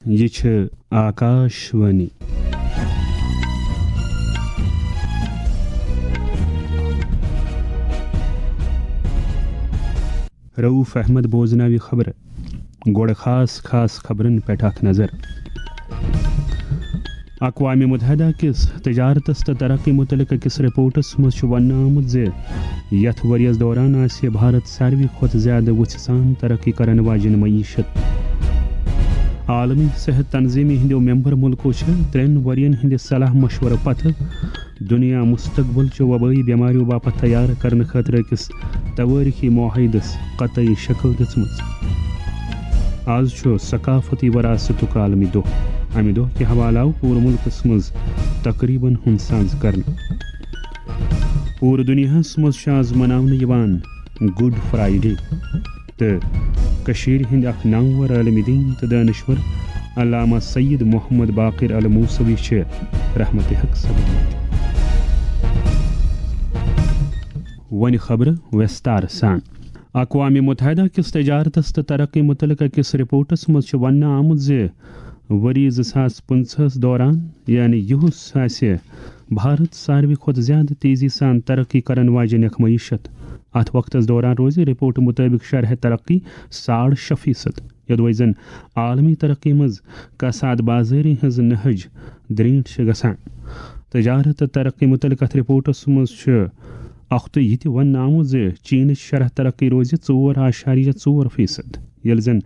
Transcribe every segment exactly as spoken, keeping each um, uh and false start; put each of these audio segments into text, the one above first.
یہِ چھِ آکاش وانی۔ رؤف احمد بوزناوِ خبرٕ۔ گۄڈٕ خاص خاص خبرن پٮ۪ٹھ اکھ نظر۔ اقوام متحدہ کِس تجارتس تہٕ ترقی متعلق أکِس رپورٹس منٛز چھُ وننہٕ آمُت زِ یتھ ؤرۍ یَس دوران آسہِ بھارت ساروی کھۄتہٕ زیادٕ وُژھِ سان ترقی کرن واجٮ۪ن معیشت۔ عالمی صحت تنظیمہِ ہٕنٛدیو ممبر مُلکو چھِ ترٛٮ۪ن ؤرۍ یَن ہٕنٛدِ صلاح مشورٕ پتہٕ دُنیا مستقبل چہِ وبٲیی بٮ۪ماریو باپتھ تیار کرنہٕ خٲطرٕ أکِس توٲریخی معاہدس قطعی شکل دِژمٕژ۔ آز چھُ ثقافتی وراثتُک عالمی دۄہ۔ امہِ دۄہ کہِ حوالہٕ آو پوٗرٕ مُلکس منٛز تقریبن ہُنٛد ساز کرنہٕ۔ پوٗرٕ دُنیاہس منٛز چھُ آز مناونہٕ یِوان گُڈ فرایڈے، تہٕ کٔشیٖرِ ہٕنٛدۍ اکھ نامور عٲلمِ دیٖن تہٕ دٲنِشوَر علامہ سید محمد باقر الموسوی چھِ رحمتِ حق سپدمٕتۍ۔ وۄنۍ خبرٕ وِستار سان۔ اقوام متحدہ کِس تجارتس تہٕ ترقی متعلق أکِس رپورٹس منٛز چھُ وننہٕ آمُت زِ ؤری زٕ ساس پٕنٛژٕہس دوران، یعنی یُہُس، آسہِ بھارت ساروی کھۄتہٕ زیادٕ تیزی سان ترقی کرن واجٮ۪ن اکھ معیشت۔ اتھ وقتس دوران روزِ رپورٹ مطٲبق شرح ترقی ساڑ شےٚ فیصد، یوٚدوے زن عالمی ترقی منٛز کساد بازٲری ہٕنٛز نہج درینٹھ چھِ گژھان۔ تجارت تہٕ ترقی متعلق اتھ رپورٹس منٛز چھُ اکھتُے یہِ تہِ وننہٕ آمُت زِ چینٕچ شرح ترقی روزِ ژور اعشاریہ ژور فیصد، ییٚلہِ زن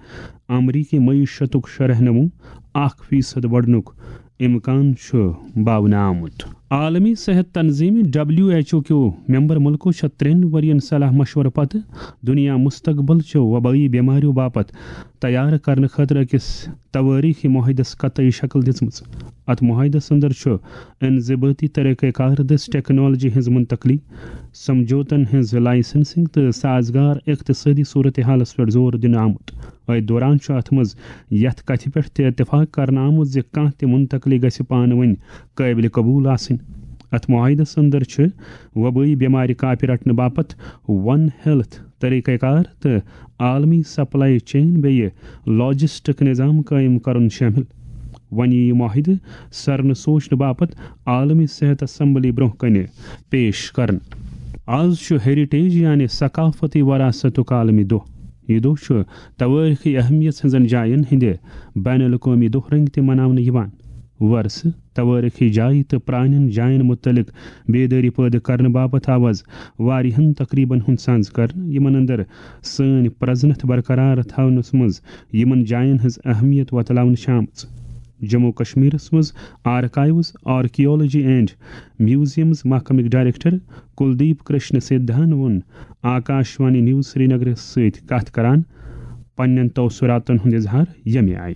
امریکی معیشتُک شرح نمو اکھ فیصد بڑنُک امکان چھُ باونہٕ آمُت۔ عالمی صحت تنظیمہِ، ڈبلیو ایچ او، کیو ممبر مُلکو چھےٚ ترٛٮ۪ن ؤرین صلاح مشورٕ پتہٕ دُنیا مستقبل چیو وبٲیی بٮ۪ماریو باپتھ تیار کرنہٕ خٲطرٕ أکِس توٲریخی معاہدس قطعی شکل دِژمٕژ۔ اتھ معاہدس اندر چھُ انضبٲطی طریقہ کار دٔسۍ ٹیکنالوجی ہٕنٛز منتقلی، سمجھوتن ہٕنٛز لائسنسنگ تہٕ سازگار اقتصٲدی صورتحالس پٮ۪ٹھ زور دِنہٕ آمُت۔ أتھۍ دوران چھُ اتھ منٛز یتھ کتھِ پٮ۪ٹھ تہِ اتفاق کرنہٕ آمُت زِ کانٛہہ تہِ منتقلی گژھِ پانہٕ ؤنۍ قٲبلِ قبول آسٕنۍ۔ اتھ معاہدس اندر چھِ وبٲیی بٮ۪مارِ کاپہِ رٹنہٕ باپتھ ون ہیلتھ طریقہ کار تہٕ عالمی سپلائی چین بیٚیہِ لاجسٹک نظام قٲیِم کرُن شٲمِل۔ وۄنۍ یِیہِ یہِ معاہدٕ سرنہٕ سوچنہٕ باپتھ عالمی صحت اسمبلی برٛونٛہہ کنہِ پیش کرنہٕ۔ آز چھُ ہیریٹیج یعنی ثقافتی وراثتُک عالمی دۄہ۔ یہِ دۄہ چھُ توٲریخی اہمیت ہٕنٛزن جاین ہٕنٛدِ بین الاقوٲمی دۄہ رنٛگۍ تہِ مناونہٕ یِوان۔ ورثہٕ، توٲریخی جایہِ تہٕ پرٛانٮ۪ن جاین مُتعلق بیدٲری پٲدٕ کرنہٕ باپتھ آو آز واریاہن تقریبن ہُنٛد سانز کرنہٕ، یِمن اندر سٲنۍ پرزنتھ برقرار تھاونس منٛز یِمن جاین ہٕنٛز اہمیت وۄتلاونہٕ چھِ آمٕژ۔ جموں کشمیرس منٛز آرکائیوز، آرکیالوجی اینڈ میوزیمز محکمٕکۍ ڈائریکٹر کلدیپ کرشن سدھان ووٚن آکاشوانی نیوز سرینگرس سۭتۍ کتھ کران پننٮ۪ن تاثراتن ہُنٛد اظہار ییٚمہِ آیہِ۔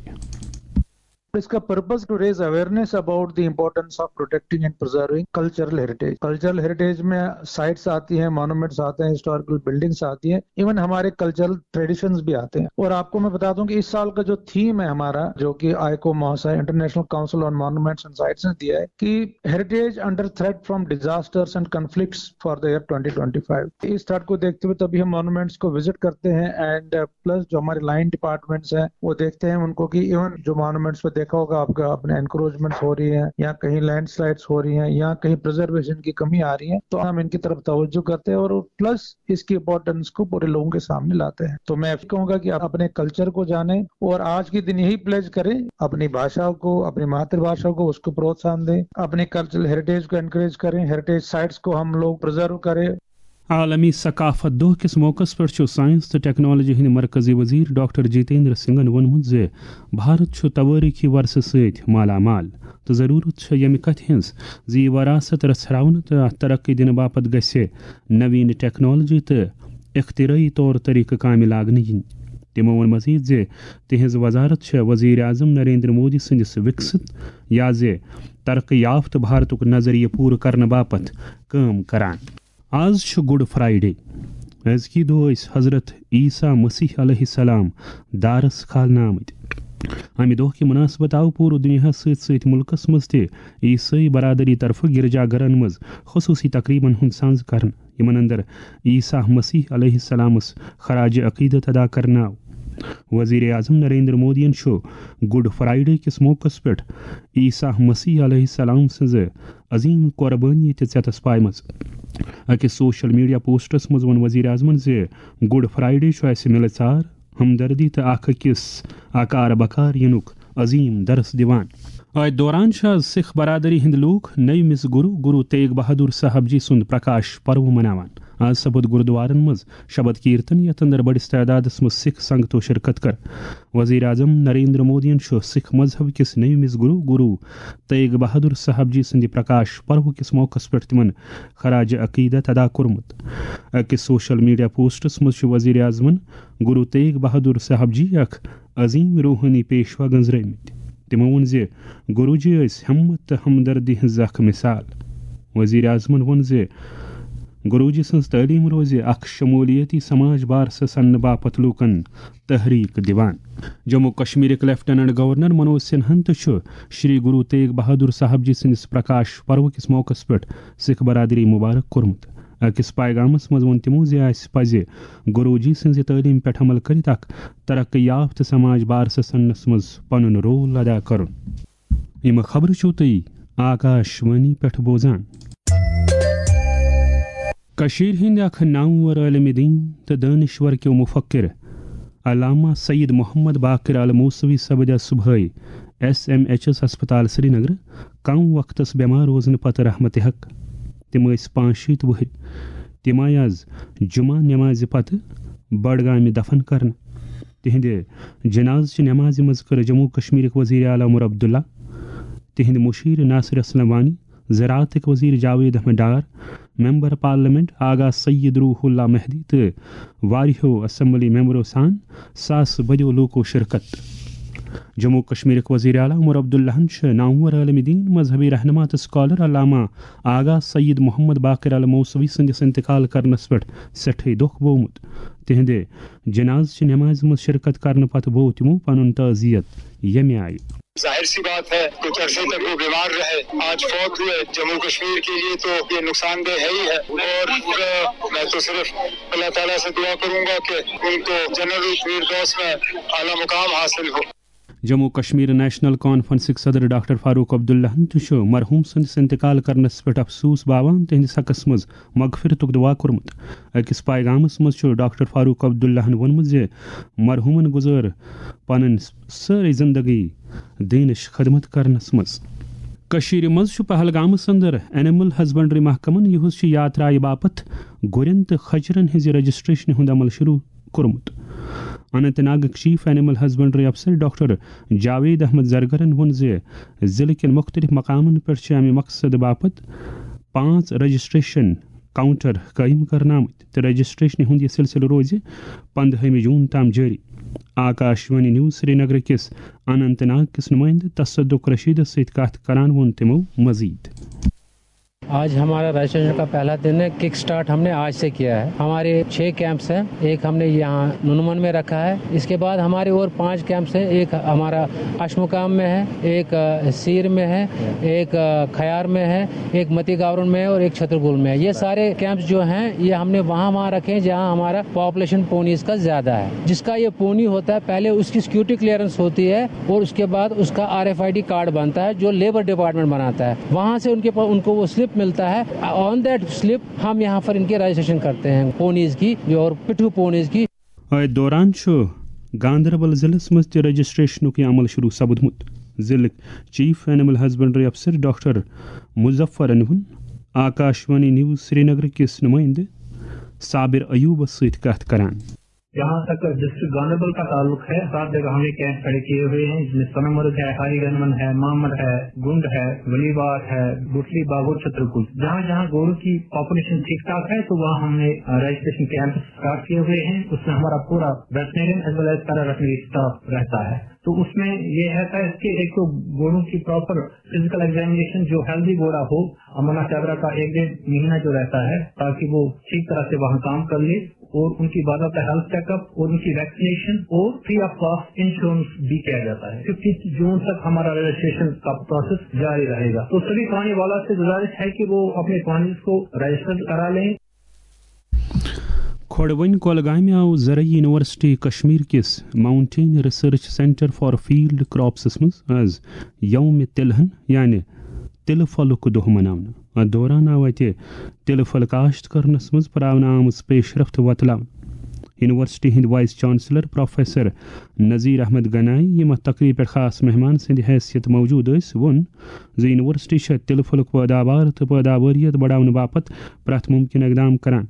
इसका purpose to raise awareness about the importance of protecting and preserving cultural heritage. Cultural heritage में sites आती हैं, monuments आते हैं, historical buildings आती हैं, even हमारे cultural traditions भी आते हैं। और आपको मैं बता दूं कि इस साल का जो theme है हमारा, जो कि आइको महोसा, International Council on Monuments and Sites ने दिया है कि heritage under threat from disasters and conflicts for the year twenty twenty-five। इस थ्रेट को देखते हुए तभी हम मॉन्यूमेंट्स को विजिट करते हैं एंड प्लस जो हमारे लाइन डिपार्टमेंट्स हैं वो देखते हैं उनको कि इवन जो मॉन्यूमेंट्स पे देखा होगा आपका अपने एनक्रोचमेंट्स हो रही हैं या कहीं लैंडस्लाइड्स हो रही हैं या कहीं प्रिजर्वेशन की कमी आ रही है तो हम इनकी तरफ तवज्जो करते हैं और प्लस इसकी इंपॉर्टेंस को पूरे लोगों के सामने लाते हैं। तो मैं कहूंगा कि आप अपने कल्चर को जानें और आज के दिन यही प्लेज करें अपनी भाषा को, अपनी मातृभाषा को, उसको प्रोत्साहन दें, अपने कल्चरल हेरिटेज को एनकरेज करें, हेरिटेज साइट्स को हम लोग प्रिजर्व करें। عالمی ثقافت دۄہ کِس موقعس پٮ۪ٹھ چھُ ساینس تہٕ ٹیکنالوجی ہٕنٛدۍ مرکزی وزیر ڈاکٹر جتیندر سنگھن ووٚنمُت زِ بھارت چھُ توٲریخی ورثہٕ سۭتۍ مالا مال تہٕ ضروٗرت چھےٚ ییٚمہِ کتھِ ہٕنٛز زِ یہِ وراثت رژھراونہٕ تہٕ اتھ ترقی دِنہٕ باپتھ گژھِ نوین ٹیکنالوجی تہٕ اختراعی طور طریقہٕ کامہِ لاگنہٕ یِنۍ۔ تِمو ووٚن مزید زِ تِہنٛز وزارت چھےٚ وزیر اعظم نریندر مودی سٕنٛدِس وِکسِت یا زِ ترقی یافتہٕ بھارتُک نظریہٕ پوٗرٕ کرنہٕ باپتھ کٲم کران۔ آز چھُ گُڈ فرائیڈے۔ أزکی دۄہ ٲسۍ حضرت عیسیٰ مسیح علیہ السلام دارس کھالنہٕ آمٕتۍ۔ امہِ دۄہ کہِ مناسبت آو پوٗرٕ دُنیاہس سۭتۍ سۭتۍ مُلکس منٛز تہِ عیسٲئی برادری طرفہٕ گرجا گرن منٛز خصوٗصی تقریبن ہُنٛد سانز کرنہٕ، یِمن اندر عیسیٰ مسیح علیہ السلامس خراج عقیدت ادا کرنہٕ آو۔ وزیر اعظم نریندر مودیَن چھُ گڈ فرائیڈے کِس موقعس پٮ۪ٹھ عیسیٰ مسیح علیہ السلام سٕنٛزِ عظیم قربٲنی تہِ ژیتس پایمٕژ۔ أکِس سوشل میڈیا پوسٹس منٛز ووٚن وزیر اعظمن زِ گڈ فرائیڈے چھُ اَسہِ مِلہٕ ژار، ہمدردی تہٕ اکھ أکِس اکار بکار یِنُک عظیم درس دِوان۔ أتھۍ دوران چھِ آز سکھ برادری ہٕنٛدۍ لوٗکھ نٔومِس گرو، گرو تیگ بہادر صاحب جی سُنٛد پرکاش پرو مناوان۔ آز سپُد گرودوارن منٛز شبد کیرتن، یتھ اندر بٔڑِس تعدادس منٛز سکھ سنگتو شرکت کٔر۔ وزیر اعظم نریندر مودیَن چھُ سکھ مذہب کِس نٔومِس گرو، گرو تیگ بہادر صاحب جی سٕنٛدِ پرکاش پرو کِس موقعس پٮ۪ٹھ تِمن خراج عقیدت ادا کوٚرمُت۔ أکِس سوشل میڈیا پوسٹس منٛز چھُ وزیر اعظمن گرو تیگ بہادر صاحب جی اکھ عظیم روحٲنی پیشوا گنزرٲومٕتۍ۔ تِمو ووٚن زِ گروجی ٲسۍ ہمت تہٕ ہمدردی ہٕنٛز اکھ مثال۔ وزیر اعظمن ووٚن زِ گروجی سٕنٛز تعلیٖم روزِ اکھ شمولیتی سماج بارسہٕ سننہٕ باپتھ لوٗکن تحریک دِوان۔ جموں کشمیرٕکۍ لیفٹیننٹ گورنر منوج سنہاہن تہِ چھُ شری گرو تیگ بہادر صاحب جی سٕنٛدِس پرکاش پروٕ کِس موقعس پٮ۪ٹھ سکھ برادری مبارک کوٚرمُت۔ أکِس پیغامس منٛز ووٚن تِمو زِ اَسہِ پزِ گروجی سٕنٛزِ تعلیٖم پٮ۪ٹھ عمل کٔرِتھ اکھ ترقی یافتہٕ سماج بارسہٕ سننس منٛز پنُن رول ادا کرُن۔ یِم خبرٕ چھِو تُہۍ آکاش وانی پٮ۪ٹھ بوزان۔ کٔشیٖرِ ہٕنٛدۍ اکھ نامور عٲلمِ دیٖن تہٕ دٲنِشور کیو مُفکِر علامہ سید محمد باقر الموسوی سپدِ صبحٲے ایس ایم ایچ ایس ہسپتال سرینگرٕ کم وقتس بٮ۪مار روزنہٕ پتہٕ رحمتِ حق۔ تِم ٲسۍ پانٛژھ شیٖتھ وُہٕرۍ۔ تِم آیہِ آز جمعہ نمازِ پتہٕ بڈگامہِ دفن کرنہٕ۔ تِہنٛدِ جنازٕ چہِ نمازِ منٛز کٔر جموں کشمیرٕکۍ وزیر اعلیٰ عمر عبداللہ، تِہنٛدِ مشیر ناصر اسلم وانی، زراعتٕکۍ وزیر جاوید احمد ڈار، ممبر پارلیمنٹ آغا سید روح اللہ مہدی تہٕ واریاہو اسمبلی ممبرو سان ساسہٕ بٔدیو لوٗکو شرکت۔ جموں کشمیرٕکۍ وزیر اعلیٰ عمر عبداللہن چھِ نامور عالمِ دیٖن، مذہبی رہنما تہٕ سکالر علامہ آغا سید محمد باقر الموسوی سٕنٛدِس انتقال کرنس پٮ۪ٹھ سٮ۪ٹھٕے دۄکھ بوومُت۔ تِہنٛدِ جنازٕ چہِ نمازِ منٛز شرکت کرنہٕ پتہٕ بوو تِمو پنُن تعزیت ییٚمہِ آیہِ۔ ظاہر سی بات ہے، کچھ عرصے تک وہ بیمار رہے، آج فوت ہوئے۔ جموں کشمیر کے لیے تو یہ نقصان دہ ہے ہی ہے، اور، آ، میں تو صرف اللہ تعالیٰ سے دعا کروں گا کہ ان کو جنت الفردوس میں اعلیٰ مقام حاصل ہو۔ جموں کشمیر نیشنل کانفرنسٕکۍ صدر ڈاکٹر فاروق عبداللہن تہِ چھُ مرحوم سٕنٛدِس انتقال کرنس پٮ۪ٹھ افسوس باوان، تِہنٛدِس حقس منٛز مغفرتُک دعا کوٚرمُت۔ أکِس پیغامس منٛز چھُ ڈاکٹر فاروق عبداللہن ووٚنمُت زِ مرحومن گُزٲر پنٕنۍ سٲرٕے زندگی دیٖنٕچ خدمت کرنس منٛز۔ کٔشیٖرِ منٛز چھُ پہلگامس اندر اینیمل ہسبنڈری محکمن یُہُس چھُ یاترایہِ باپتھ گُرٮ۪ن تہٕ کھچرن ہٕنٛزِ رجسٹریشنہِ ہُنٛد عمل شروع کوٚرمُت۔ اننت ناگٕکۍ چیف اینیمل ہسبنڈری افسر ڈاکٹر جاوید احمد زرگرن ووٚن زِ ضلعہٕ کٮ۪ن مُختٔلِف مقامن پٮ۪ٹھ چھِ امہِ مقصدٕ باپتھ پانٛژھ رجسٹریشن کاؤنٹر قٲیِم کرنہٕ آمٕتۍ تہٕ رجسٹریشنہِ ہُنٛد یہِ سلسلہٕ روزِ پندہٲمہِ جون تام جٲری۔ آکاش وانی نیوز سرینگر کِس اننت ناگ کِس نمائندٕ تصدق رشیدس سۭتۍ کتھ کران ووٚن تِمو مزید۔ आज हमारा रजिस्ट्रेशन का पहला दिन है। किक स्टार्ट हमने आज से किया है। हमारे छह कैंप्स हैं। एक हमने यहाँ नुनमन में रखा है, इसके बाद हमारे और पांच कैंप्स हैं। एक हमारा अशमुकाम में है, एक अ, सीर में है, एक अ, खयार में है, एक मती गावरन में है और एक छतरपुर में है। ये सारे कैंप्स जो हैं, ये हमने वहाँ वहाँ रखे हैं जहाँ हमारा पॉपुलेशन पोनीज का ज्यादा है। जिसका ये पोनी होता है, पहले उसकी सिक्योरिटी क्लियरेंस होती है और उसके बाद उसका आरएफआईडी कार्ड बनता है, जो लेबर डिपार्टमेंट बनाता है। वहाँ से उनके पास, उनको वो स्लिप मिलता है। ऑन दैट स्लिप हम यहाँ पर इनके रजिस्ट्रेशन करते हैं पोनीज की, जो और पिट्ठू पोनीज की। أتھۍ دوران چھُ گاندربل ضلعس منٛز تہِ رجسٹریشنُک یہِ عمل شروع سپدمُت۔ ضلعٕکۍ چیف اینیمل ہسبنڈری افسر ڈاکٹر مظفرن ووٚن آکاش وانی نیوز سرینگر کِس نمائندٕ صابر ایوبس سۭتۍ کتھ کران۔ جہاں تک ڈسٹرکٹ گاندربل کا تعلق ہے، سات جگہ ہم نے کیمپ کھڑے کیے ہوئے ہیں، جس میں سنامرگ ہے، ہاری گنمن ہے، مامر ہے، گنڈ ہے، ولی باغ ہے، گٹلی باغ اور چھترپور۔ جہاں جہاں گوروں کی پاپولیشن ٹھیک ٹھاک ہے تو وہاں ہم نے رجسٹریشن کیمپ اسٹارٹ کیے ہوئے ہیں۔ اس میں ہمارا پورا ویٹرینرین ایز ویل ایز پیرا ویٹرینری اسٹاف رہتا ہے۔ تو اس میں یہ رہتا ہے کہ ایک تو گوروں کی پراپر فزیکل ایگزامینیشن، جو ہیلدی گورا ہو، امنا چادرا کا ایک ڈیڑھ مہینہ جو رہتا ہے، تاکہ وہ ٹھیک طرح سے وہاں کام کر لے، اور ان کی باضابطہ ہیلتھ چیک اپ اور ان کی ویکسینیشن اور فری آف کاسٹ انشورنس بھی کیا جاتا ہے۔ ففٹی جون تک ہمارا رجسٹریشن کا پروسیس جاری رہے گا۔ تو سبھی پانی والا سے گزارش ہے کہ وہ اپنے پانی کو رجسٹر کرا لیں۔ کھۄڈوٕنۍ کۄلگامہِ آو زرعی یونیورسٹی کشمیر کِس mountain research centre for field کراپسس منٛز از یوم تلہن، یعنی تِلہٕ پھلُک دۄہ مناونہٕ۔ اتھ دوران آو اتہِ تِلہٕ پھل کاشت کرنس منٛز پراونہٕ آمٕژ پیشرفت وۄتلاونہٕ۔ یونیورسٹی ہٕنٛدۍ vice chancellor professor Nazir Ahmad Ganai, یِم اتھ تقریبہِ پٮ۪ٹھ خاص مہمان سٕنٛدِ حیثیت موجود ٲسۍ، ووٚن زِ یونیورسٹی چھےٚ تِلہٕ پھلُک پٲداوار تہٕ پٲداوٲریت بڑاونہٕ باپتھ پرٛٮ۪تھ مُمکِن اقدام کران۔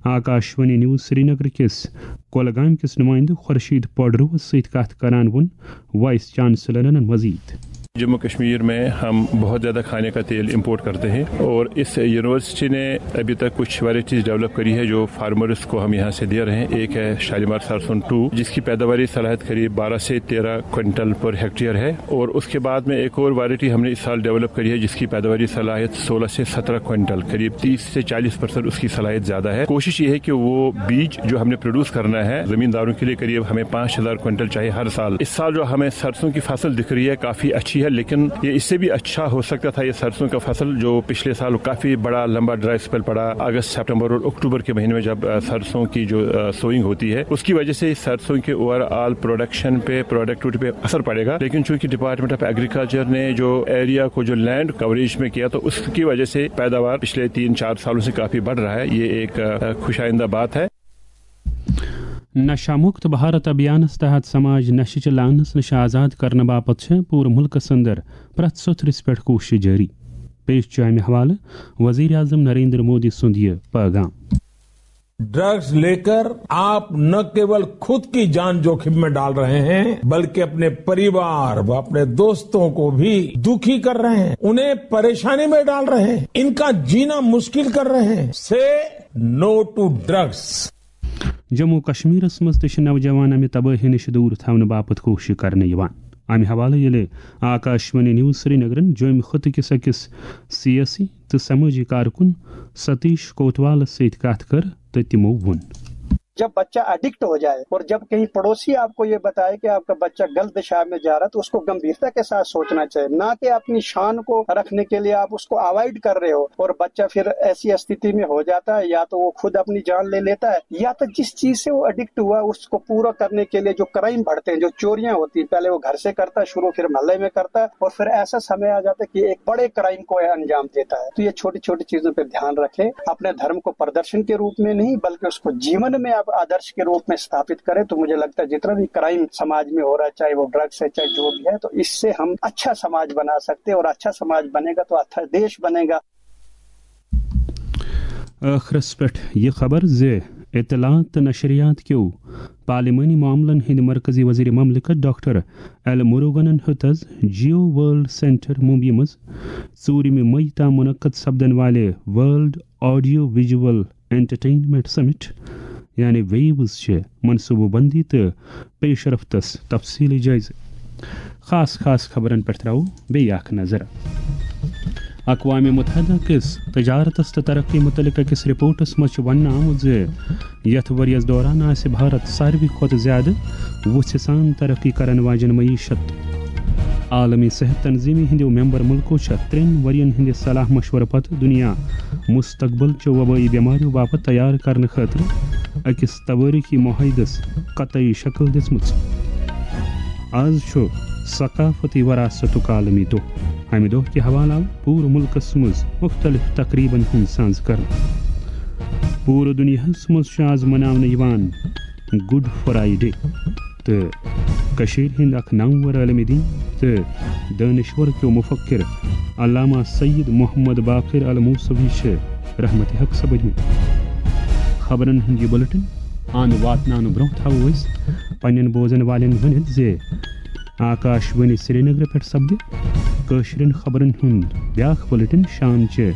آکاشوانی نیوز سرینگر کِس کۄلگامہِ کِس نُمٲیندٕ خورشید پوڈروَس سۭتۍ کتھ کران ووٚن وائس چانسلرن مزید۔ جموں کشمیر میں ہم بہت زیادہ کھانے کا تیل امپورٹ کرتے ہیں اور اس یونیورسٹی نے ابھی تک کچھ ورائٹیز ڈیولپ کری ہے جو فارمرز کو ہم یہاں سے دے رہے ہیں۔ ایک ہے شالیمار سرسوں ٹو، جس کی پیداواری صلاحیت قریب بارہ سے تیرہ کوئنٹل پر ہیکٹیئر ہے، اور اس کے بعد میں ایک اور ورائٹی ہم نے اس سال ڈیولپ کری ہے جس کی پیداواری صلاحیت سولہ سے سترہ کوئنٹل، قریب تیس سے چالیس پرسینٹ اس کی صلاحیت زیادہ ہے۔ کوشش یہ ہے کہ وہ بیج جو ہم نے پروڈیوس کرنا ہے زمینداروں کے لیے، قریب ہمیں پانچ ہزار کوئنٹل چاہیے ہر سال۔ اس سال جو ہمیں سرسوں کی فصل دکھ رہی ہے کافی اچھی ہے، لیکن یہ اس سے بھی اچھا ہو سکتا تھا۔ یہ سرسوں کا فصل جو پچھلے سال کافی بڑا لمبا ڈرائی اسپیل پڑا اگست، سپٹمبر اور اکتوبر کے مہینے میں، جب سرسوں کی جو سوئنگ ہوتی ہے، اس کی وجہ سے سرسوں کے اوور آل پروڈکشن پہ، پروڈکٹیوٹی پہ اثر پڑے گا۔ لیکن چونکہ ڈپارٹمنٹ آف ایگریکلچر نے جو ایریا کو، جو لینڈ کوریج میں کیا، تو اس کی وجہ سے پیداوار پچھلے تین چار سالوں سے کافی بڑھ رہا ہے۔ یہ ایک خوش آئندہ بات ہے۔ نشہ مکت بھارت ابھیانس تحت سماج نشہٕ چہِ لعنس نِش آزاد کرنہٕ باپتھ چھےٚ پوٗرٕ مُلکس اندر پرٛٮ۪تھ سوٚتھرِس پٮ۪ٹھ کوٗشش جٲری۔ پیش چھُ امہِ حوالہٕ وزیر اعظم نریندر مودی سُنٛد یہِ پیغام۔ ड्रग्स लेकर आप न केवल खुद की जान जोखिम में डाल रहे हैं, बल्कि अपने परिवार व अपने दोस्तों को भी दुखी कर रहे हैं, उन्हें परेशानी में डाल रहे हैं, इनका जीना मुश्किल कर रहे हैं। से नो टू ड्रग्स। جموں و کشمیرس منٛز تہِ چھِ نوجوان امہِ تبٲہی نِش دوٗر تھاونہٕ باپتھ کوٗشش کرنہٕ یِوان۔ امہِ حوالہٕ ییٚلہِ آکاشوانی نیوز سرینگرن جوٚمۍ خطہٕ کِس أکِس سیٲسی تہٕ سمٲجی کارکُن ستیش کوتوالس سۭتۍ کتھ کٔر تہٕ تِمو ووٚن۔ جب بچہ ایڈکٹ ہو جائے اور جب کہیں پڑوسی آپ کو یہ بتائے کہ آپ کا بچہ غلط دشا میں جا رہا ہے تو اس کو گمبھیرتا کے ساتھ سوچنا چاہیے، نہ کہ اپنی شان کو رکھنے کے لیے آپ اس کو اوائڈ کر رہے ہو اور بچہ پھر ایسی استھتی میں ہو جاتا ہے یا تو وہ خود اپنی جان لے لیتا ہے یا تو جس چیز سے وہ ایڈکٹ ہوا اس کو پورا کرنے کے لیے جو کرائم بڑھتے ہیں، جو چوریاں ہوتی ہیں، پہلے وہ گھر سے کرتا ہے شروع، پھر محلے میں کرتا ہے اور پھر ایسا سمے آ جاتا ہے کہ ایک بڑے کرائم کو انجام دیتا ہے۔ تو یہ چھوٹی چھوٹی چیزوں پہ دھیان رکھے، اپنے دھرم کو پردرشن کے روپ میں نہیں بلکہ اس کو جیون میں آپ آدرش کے روپ میں استھاپت کریں۔ تو مجھے لگتا ہے جتنا بھی کرائم سماج میں ہو رہا ہے، چاہے وہ ڈرگس ہے، چاہے جو بھی ہے، تو اس سے ہم اچھا سماج بنا سکتے ہیں اور اچھا سماج بنے گا تو اچھا دیش بنے گا۔ ٲخرس پٮ۪ٹھ یہِ خبر زِ اطلاعات تہٕ نشریات کیو پارلیمانی معاملن ہٕنٛدۍ مرکزی وزیر مملکت ڈاکٹر ایل مروگنن ہیوٚت از جیو ورلڈ سینٹر ممبئی منٛز ژوٗرِمہِ مئی تام منعقد سپدن والہِ ورلڈ آڈیو ویجول انٹرٹینمنٹ سمٹ یعنی ویوز چہِ منصوبہٕ بندی تہٕ پیشرفتس تفصیلی جٲیزٕ۔ خاص خاص خبرن پٮ۪ٹھ ترٛاوو بیٚیہِ اکھ نظر۔ اقوام متحدہ کِس تجارتس تہٕ ترقی متعلق أکِس رپورٹس منٛز چھُ وننہٕ آمُت زِ یتھ ؤرۍ یَس دوران آسہِ بھارت ساروی کھۄتہٕ زیادٕ وُژھِ سان ترقی کرن واجٮ۪ن معیشت۔ عالمی صحت تنظیمہِ ہٕنٛدیو ممبر مُلکو چھےٚ ترٛٮ۪ن ؤرۍ یَن ہٕنٛدِ صلاح مشورٕ پتہٕ دُنیا مستقبل چیو وبٲیی بٮ۪مارٮ۪و باپتھ تیار کرنہٕ خٲطرٕ أکِس توٲریٖخی معاہدس قطعی شکل دِژمٕژ۔ از چھُ ثقافتی وراثتُک عالمی دۄہ۔ امہِ دۄہ کہِ حوالہٕ آو پوٗرٕ مُلکس منٛز مُختٔلِف تقریٖبن ہُنٛد سانز کرنہٕ۔ پوٗرٕ دُنیاہس منٛز چھُ از مناونہٕ یِوان گڈ فرائیڈے تہٕ کٔشیٖرِ ہٕنٛدۍ اکھ نامور عالمِ دین تہٕ دٲنِشور کیو مُفکر علامہ سید محمد باقر الموسوی چھِ رحمت حق سپٕدمٕتۍ۔ خبرن ہُنٛد یہِ بُلٹن اند واتناونہٕ برونٛہہ تھاوو أسۍ پننٮ۪ن بوزن والٮ۪ن ؤنِتھ زِ آکاش وانی سرینگر پٮ۪ٹھ سپدِ کٲشرٮ۪ن خبرن ہُنٛد بیاکھ بُلٹن شام چہِ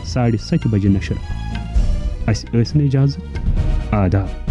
ساڑِ ستہِ بجہِ نشر۔ اسہِ ٲسِن اجازت۔ آداب۔